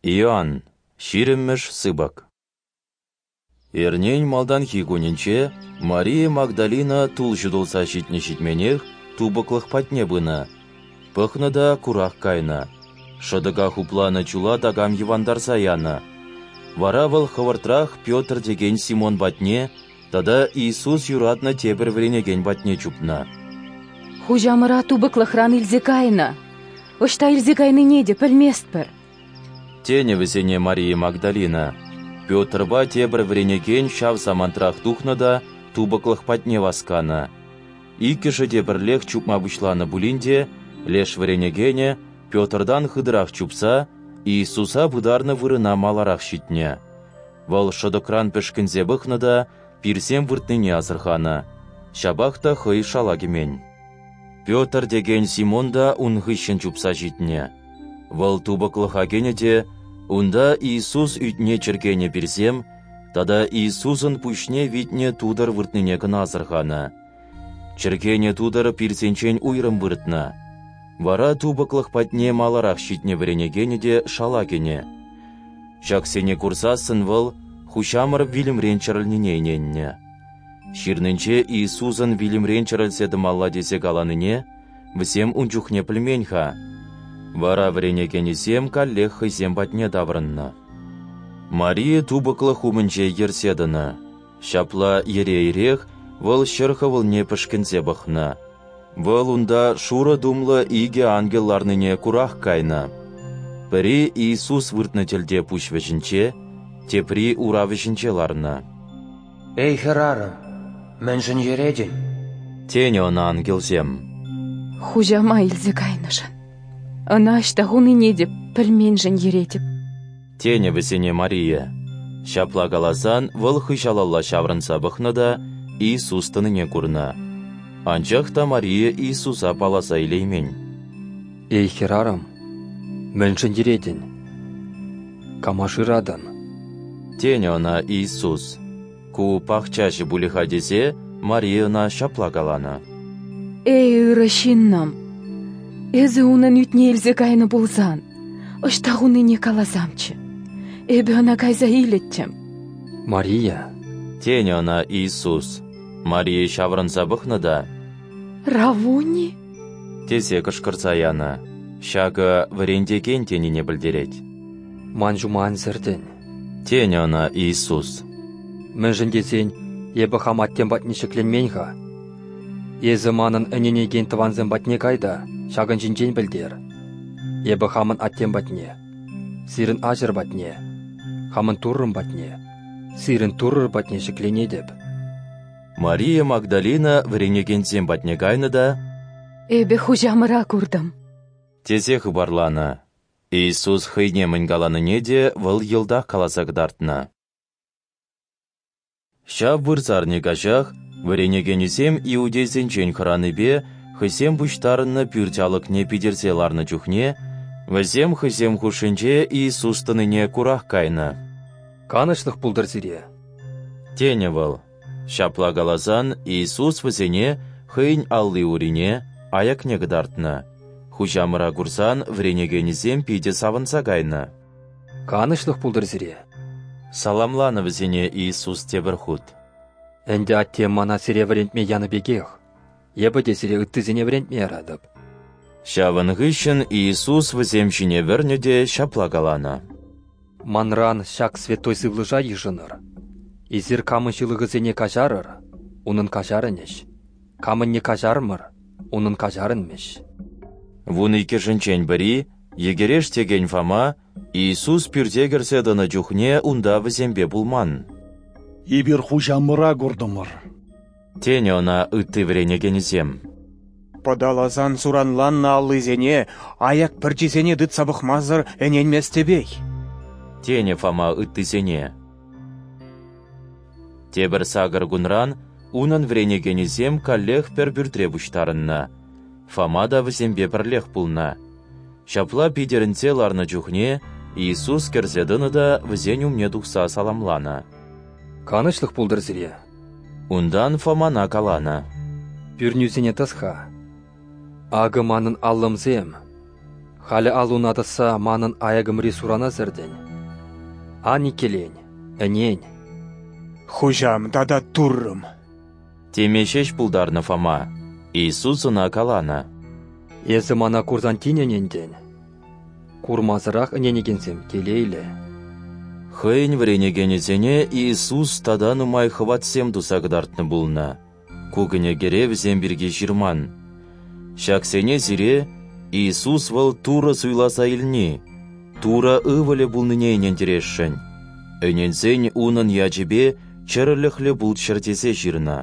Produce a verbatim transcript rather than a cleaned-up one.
Иоанн, ҫирӗммӗш сыпӑк. Эрнен малтанхи кунӗнче Мария Магдалина тул ҫутӑлса ҫитнӗ-ҫитменех тупӑклӑх патне пынӑ. Пӑхнӑ та курах кайнӑ. Шӑтӑка хупланӑ чула такам йӑвантарса янӑ. Вара вӑл хӑвӑртрах Петр текен Симон патне тата Иисус юратнӑ тепӗр вӗренекен патне чупнӑ. Хуҫамӑра тупӑклӑхран илсе кайнӑ. Ӑҫта илсе кайнине те пӗлместпӗр. Тенӗ вӗсене Мария Магдалина. Петрпа тепӗр вӗренекен ҫав самантрах тухнӑ та тупӑклӑх патне васканӑ. Иккӗшӗ те пӗрлех чупма пуҫланӑ пулин те, леш вӗренекенӗ Петртан хытӑрах чупса Иисуса пытарнӑ вырӑна маларах ҫитнӗ. Вӑл шӑтӑкран пӗшкӗнсе пӑхнӑ та пирсем выртнине асӑрханӑ. Ҫапах та хӑй шала кӗмен. Петр текен Симон та ун хыҫҫӑн чупса ҫитнӗ. Вӑл тупӑклӑха кӗнӗ те унта Иисус ӳтне чӗркенӗ пирсем тата Иисусӑн пуҫне витнӗ тутӑр выртнине кӑна асӑрханӑ. Чӗркенӗ тутӑр пирсенчен уйрӑм выртнӑ. Вара тупӑклӑх патне маларах ҫитнӗ вӗренекенӗ те шала кӗнӗ. Ҫаксене курсассӑн вӑл Хуҫамӑр вилӗмрен чӗрӗлнине ӗненнӗ. Ҫырнинче Иисусӑн вилӗмрен чӗрӗлсе тӑмалла тесе каланине вӗсем ун чухне пӗлмен-ха. Вара вӗренекенӗсем каллех хӑйсем патне таврӑннӑ. Мария тупӑклӑх умӗнче йӗрсе тӑнӑ. Ҫапла йӗре-йӗрех вӑл ҫӗр хӑвӑлне пӗшкӗнсе пӑхнӑ. Вӑл унта шурӑ тумлӑ икӗ ангел ларнине курах кайнӑ. Пӗри Иисус выртнӑ тӗлте пуҫ вӗҫӗнче, тепри ура вӗҫӗнче ларнӑ. Эй, хӗрарӑм, мӗншӗн йӗретӗн? Тенӗ ӑна ангелсем. Хуҫама илсе кайнӑшӑн, ӑна ӑҫта хунине те пӗлменшӗн йӗретӗп. Тенӗ вӗсене Мария. Ҫапла каласан вӑл хыҫалалла ҫаврӑнса пӑхнӑ та Иисус тӑнине курнӑ. Анчах та Мария Иисуса палласа илеймен. Эй, хӗрарӑм, мӗншӗн йӗретӗн? Кама шыратӑн? Тенӗ ӑна Иисус. Ку пахчаҫӑ пулӗ-ха тесе Мария ӑна ҫапла каланӑ. Эй, ырӑ ҫыннӑм, эсӗ унӑн ӳтне илсе кайнӑ пулсан, ӑҫта хунине каласамччӗ. Эпӗ ӑна кайса илӗттӗм. Мария, тенӗ ӑна Иисус. Мария ҫаврӑнса пӑхнӑ та Раввуни? тесе кӑшкӑрса янӑ. Ҫакӑ вӗрентекен тенине пӗлтерет. Ман ҫума ан сӗртӗн, тенӗ ӑна Иисус. Мӗншӗн тесен эпӗ хам аттем патне ҫӗкленмен-ха. Эсӗ манӑн ӗненекен тӑвансем патне кай та ҫакӑн ҫинчен пӗлтер. Эпӗ хамӑн аттем патне, сирӗн аҫӑр патне, хамӑн Туррӑм патне, сирӗн Туррӑр патне ҫӗкленетӗп. Мария Магдалина вӗренекенсем патне кайнӑ та Эпӗ Хуҫамӑра куртӑм, тесе хыпарланӑ. Иисус хӑйне мӗн каланине те вӑл йӑлтах каласа кӑтартнӑ. Ҫав вырсарни каҫах вӗренекенӗсем иудейсенчен хӑранипе хӑйсем пуҫтарӑннӑ пӳрт алӑкне питӗрсе ларнӑ чухне вӗсем хӑйсем хушшинче Иисус тӑнине курах кайнӑ. Канӑҫлӑх пултӑр сире, тенӗ вӑл. Ҫапла каласан Иисус вӗсене хӑйӗн алли-урине, аякне кӑтартнӑ. Хуҫамӑра курсан вӗренекенӗсем питӗ савӑнса кайнӑ. Канӑҫлӑх пултӑр сире, саламланӑ вӗсене Иисус тепӗр хут. Ӗнтӗ аттем мана сире вӗрентме янӑ пекех, эпӗ те сире ыттисене вӗрентме яратӑп. Ҫавӑн хыҫҫӑн Иисус вӗсем ҫине вӗрнӗ те ҫапла каланӑ. Манран ҫак святой сывлӑша йышӑнӑр. Эсир камӑн ҫылӑхӗсене каҫарӑр, унӑн каҫарӑнӗҫ. Камӑнне каҫармӑр, унӑн каҫарӑнмӗҫ. Вун иккӗшӗнчен пӗри, йӗкӗреш текен Фома, Иисус пӳрте кӗрсе тӑнӑ чухне унта вӗсемпе пулман. Эпир Хуҫамӑра куртӑмӑр, тенӗ ӑна ытти вӗренекенӗсем. Пӑталасан суранланнӑ аллисене, аяк пӗрчисене тытса пӑхмасӑр ӗненместӗпех, тенӗ Фома ыттисене. Тепӗр сакӑр кунран унӑн вӗренекенӗсем каллех пӗр пӳртре пуҫтарӑннӑ. Фома та вӗсемпе пӗрлех пулнӑ. Ҫапла питӗрӗнсе ларнӑ чухне Иисус кӗрсе тӑнӑ та вӗсен умне тухса саламланӑ. Канӑҫлӑх пултӑр сире. Унтан Фомана каланӑ. Пӳрнӳсене тӑс-ха. Акӑ манӑн аллӑмсем. Халӗ аллуна тӑсса манӑн аякӑмри сурана сӗртӗн. Ан иккӗлен, ӗнен. Хуҫам тата Туррӑм! Теме ҫеҫ пултарнӑ Фома. Иисус ӑна каланӑ: Эсӗ мана курсан тин ӗнентӗн. Курмасӑрах ӗненекенсем телейлӗ. Хӑйӗн вӗренекенӗсене Иисус тата нумай хӑватсем туса кӑтартнӑ пулнӑ. Ку кӗнекере вӗсем пирки ҫырман. Ҫаксене сире Иисус вӑл Турӑ суйласа илни, Турӑ Ывӑлӗ пулнине ӗнентересшӗн. Ӗненсен Унӑн ячӗпе чӗрӗлӗхлӗ пулччӑр тесе ҫырнӑ.